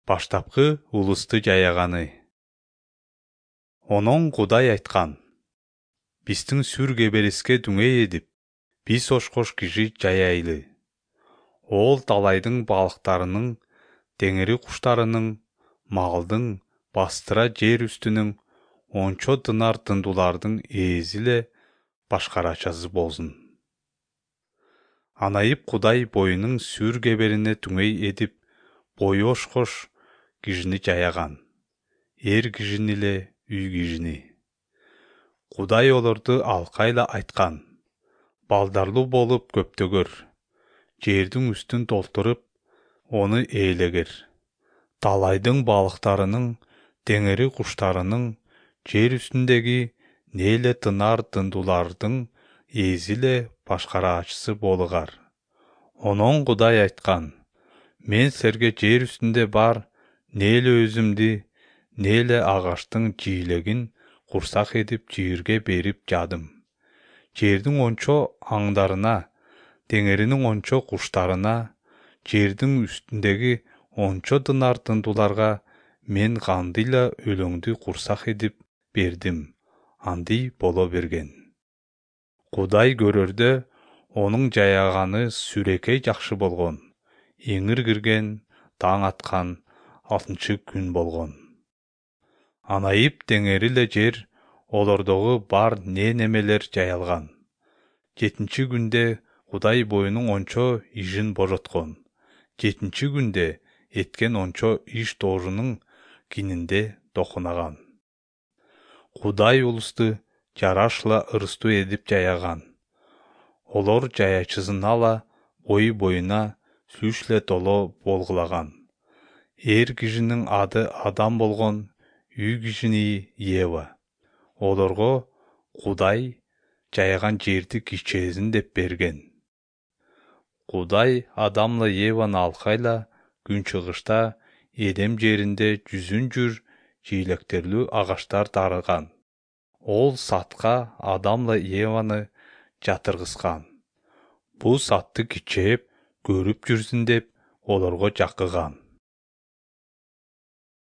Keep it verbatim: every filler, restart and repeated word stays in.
Баштапкы улусту жаяганы. Онон Кудай айткан: биздин сүр кебериске дүңей эдип, биз ошкош киши жаяйлы. Ол талайдын балыктарынын, деңири куштарынын, малдын, бастыра жер үстүнүн, ончо дынар дындулардын ээзи эле башкарачасы болсун. Анайып Кудай боюнун сүр кеберине дүңей эдип, бою ошкош кишини жаяган, эр кишини эле, үй кишини. Кудай олорду алкайла айткан: балдарлуу болуп көптөгөр, жердин үстүн толтуруп, ону ээлегер. Талайдын балыктарынын, деңири куштарынын, жер үстүндөгү нээле тынар дындулардын ээзи эле башкараачысы болугар. Онон Кудай айткан: мен силерге жер үстүндө бар нээле өзүмдү, нээле агаштын жиилегин курсак эдип жыйырге берип жадым. Жердин ончо аңдарына, деңиринин ончо куштарына, жердин үстүндөгү ончо дынар дындуларга мен кандайла өлөңдү курсак эдип бердим, андый боло берген. Кудай көрөрдө онун жаяганы сүрөкөй жакшы болгон. Эңир кирген, таң аткан алтынчы күн болгон. Анайып деңири эле жер, олордогу бар не-немелер жаялган. Жетинчи күндө Кудай боюнун ончо ишин божоткон. Жетинчи күндө эткен ончо иш доорунун кининде докунаган. Кудай улусту жарашла ырыстуу эдип жаяган. Олор жаячысын ала бою-боюна сүч эле толо болгулаган. Эр кишинин аты Адам болгон, үй кишини Ева. Олорго Кудай жаяган жерди кичээсин деп берген. Кудай Адамла Еваны алкайла күн чыгышта Эдем жеринде жүзүн жүр жиилектерлүү агаштар дарыган. Ол сатка Адамла Еваны жатыргыскан. Бул сатты кичээп, көрүп жүрсүн деп олорго жаккыган.